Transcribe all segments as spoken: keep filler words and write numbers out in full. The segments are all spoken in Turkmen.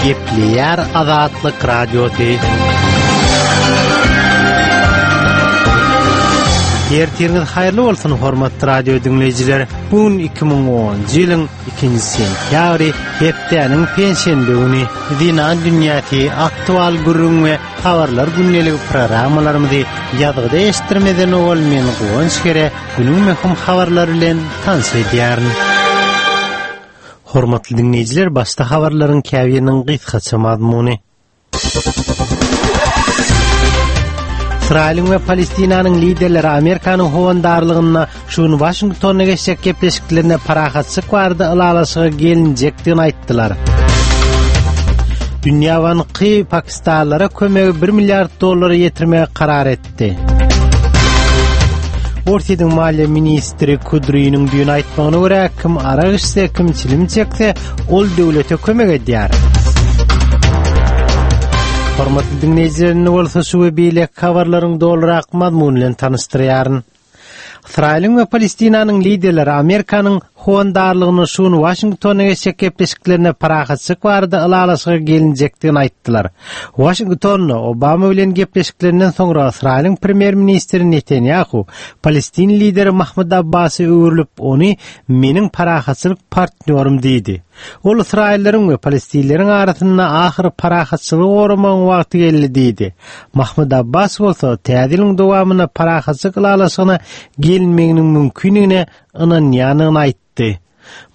Gepleýär Azatlyk Radiosy. Ertiriňiz haýyrly bolsun, hormatly radio diňleýjiler. Bu gün iki müň onunjy ýylyň ikinji sentýabry, hepdäniň penşenbe güni. Zenan dünýäsi, aktual gürrüň we habarlar gündeligi programmalarymyzy ýazgyda eşitdirmeden owal men Guwanç Kere günüň möhüm habarlary bilen tanyş edýärin. Hormatly diňleýjiler, başda habarlaryň käbiriniň gysgaça mazmuny. Ysraýylyň we Palestinanyň liderleri Amerikanyň howandarlygynda şu gün Waşingtonda geçjek gepleşiklerinde parahatçylyk barada ylalaşyga gelinjekdigini aýtdylar. Dünýä banky pakistanlylara kömegi bir milliard dollara ýetirmegi karar etdi. Orsýetiň maliýe ministri Kudriniň düýn aýtmagyna görä, kim arak içse, kim çilim çekse, ol döwlete kömek edýär. Hormatly diňleýjiler, indi bolsa şu we beýleki habarlaryň dolurak mazmuny bilen tanyşdyrýaryn. Ysraýylyň we Palestinanyň liderleri Amerikanyň howandarlygynda şu gün Waşingtonda geçjek gepleşiklerinde parahatçylyk barada ylalaşyga gelinjekdigini aýtdylar. Waşingtonda Obama bilen gepleşiklerinden soňra Ysraýylyň premýer-ministri Netanýahu Palestin lideri Mahmud Abbasy öwrülip, ony meniň parahatçylyk partnýorym diýdi. Ol ysraýyllaryň we palestinleriň arasynda ahyry parahatçylygy goramagyň wagty geldi diýdi. Mahmud Abbas bolsa täze ýylyň dowamynda parahatçylyk ylalaşygyna gelinmeginiň mümkindigine ynanýandygyny aýtdy.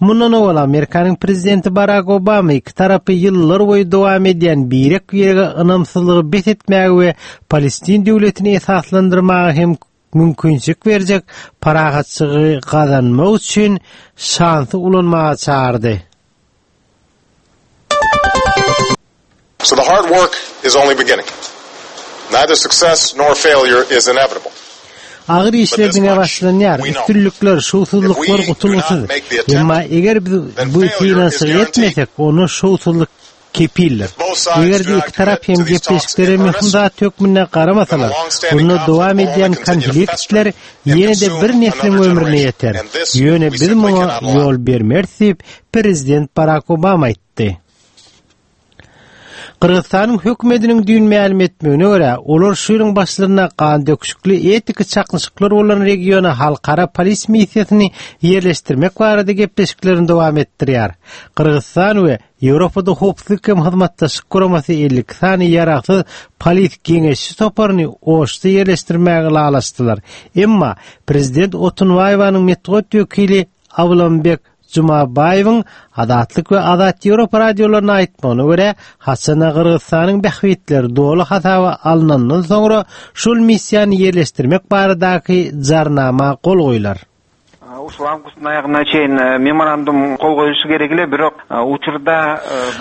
Mundan owal Amerikanyň prezidenti Barak Obama iki tarapy ýyllar boýy dowam edýän birek-birege ynamsyzlygy bes etmäge we Palestin döwletini esaslandyrmaga hem mümkinçilik berjek parahatçylygy gazanmak üçin şansy ulanmaga çagyrdy. So the hard work is only beginning. Neither success nor failure is inevitable. Agyr işler diňe başlanýar, üstünlikler, şowsuzlyklar gutulgysyz. Emma eger biz bu synanyşygy etmesek, onda şowsuzlyk kepildir. Eger-de iki tarap hem gepleşiklere möhüm zat hökmünde garamasalar, onda dowam edýän konfliktler ýene-de bir nesliň ömrüne ýeter. Ýöne biz muňa ýol bermeris diýip, prezident Barak Obama aýtdy. Gyrgyzystanyň hökümetiniň düýn mälim etmegine görä, olar şu ýylyň başlarynda gandöküşikli etniki çaknyşyklar bolan regiona halkara polis missiýasyny ýerleşdirmek barada gepleşiklerini dowam etdirýär. Gyrgyzystan we Ýewropada Howpsuzlyk hem Hyzmatdaşlyk Guramasy elli iki sany ýaragsyz polis geňeşçi toparyny Oşda ýerleşdirmäge ylalaşdylar. Emma prezident Otunbaýewanyň metbugat wekili Abylambek Jumabaýewiň Azatlyk we Azat Ýewropa radiolaryna aýtmagyna görä, haçanda Gyrgyzystanyň bähbitleri doly hasaba alnandan soňra şol missiýany ýerleşdirmek baradaky jarnama gol goýlar. Ушул августтун аягына чейин меморандум кол коюлушу керек эле, бирок учурда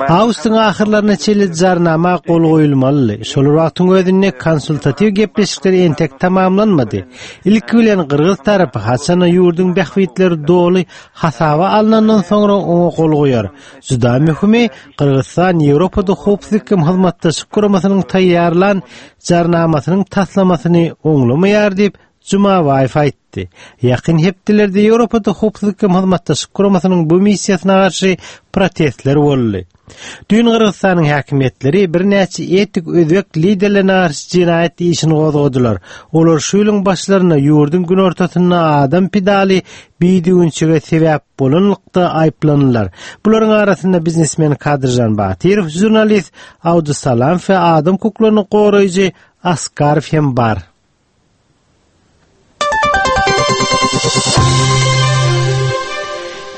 Awgustyň ahyrlaryna çenli jarnama gol goýulmalydy. Şol bir wagtyň özünde konsultatiw gepleşikler entek tamamlanmady. Ilki bilen gyrgyz tarapy haçanda ýurduň bähbitleri doly hasaba alnandan soňra oňa gol goýar. Juda möhümi, Gyrgyzystan Ýewropada Howpsuzlyk hem Hyzmatdaşlyk Guramasynyň taýýarlan jarnamasynyň taslamasyny oňlamaýar diýip, Jumabaýew aýtdy. Ýakyn hepdelerde Ýewropada Howpsuzlyk hem Hyzmatdaşlyk Guramasynyň bu missiýasyna garşy protestler boldy. Düýn Gyrgyzystanyň häkimiýetleri birnäçe etnik özbek liderlerine garşy jenaýat işini gozgadylar. Olar şu ýylyň başlarynda ýurduň günortasynda adam pidaly bidüwünçige sebäp bolanlykda aýyplandylar. Bularyň arasynda biznesmen Kadyrjan Batyrow, žurnalist Abdusalamow we adam hukuklaryny goraýjy Askarow hem bar.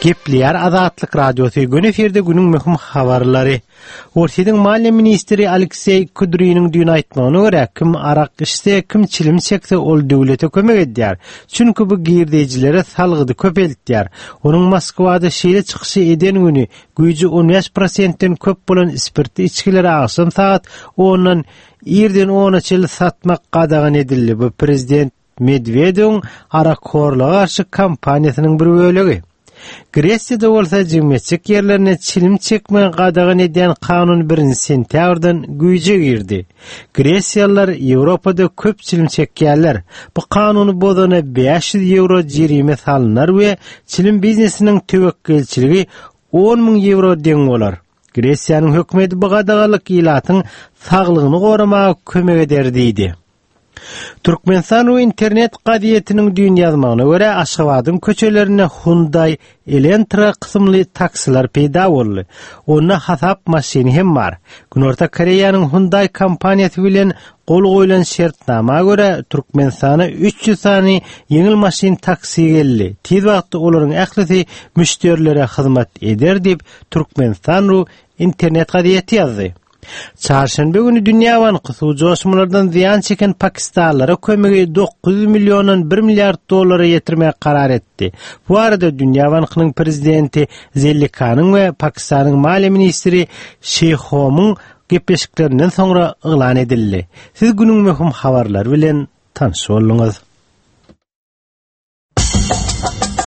Gepleýär Azatlyk Radiosy, göni efirde günüň möhüm habarlary. Orsýetiň maliýe ministri Alekseý Kudriniň düýn aýtmagyna görä, kim arak içse, kim çilim çekse, ol döwlete kömek edýär. Çünki bu girdejilere salgydy köpeltýär. Onuň Moskwada şeýle çykyşy eden güni güýji on bäş prosentden köp bolan spirtli içgileri agşam sagat ondan irden ona çenli satmak gadagan edildi. Bu prezident Medwedewiň arakhorluga garşy kampaniýasynyň bir bölegi. Gresiýada bolsa jemgyýetçilik ýerlerinde çilim çekmegi gadagan edýän kanun birinji sentýabrdan güýje girdi. Gresiýalylar Ýewropada köp çilim çekýärler. Bu kanuny bozana bäş ýüz ýewro jerime salynar we çilim biznesiniň töwekgelçiligi on müň ýewro deň bolar. Gresiýanyň hökümeti bu gadaganlyk ilatyň saglygyny goramaga kömek eder diýdi. Türkmenistan we internet gazetiniň düýn ýazmagyna görä, Aşgabadyň köçelerinde Hyundai Elantra kysymly taksiler peýda boldy. Onda hasap maşyny hem bar. Günorta Koreýanyň Hyundai kompaniýasy bilen gol goýlan şertnama görä, Türkmenistana üç ýüz sany ýeňil maşyn taksi geldi. Tiz wagtda olaryň ählisi müşderilere hyzmat eder diýip, Türkmenistan ru internet gazeti ýazdy. Çarşenbe güni Dünýä Banky suw joşmalardan zyýan çeken Pakistanlara kömegi dokuz ýüz milliondan bir milliard dollara ýetirmegi karar etdi. Bu arada Dünýä Bankynyň prezidenti Zellikanyň we Pakistanyň maliýe ministri Şeýhomyň gepleşiklerinden soňra yglan edildi. Siz günüň möhüm habarlary bilen tanyş bolduňyz.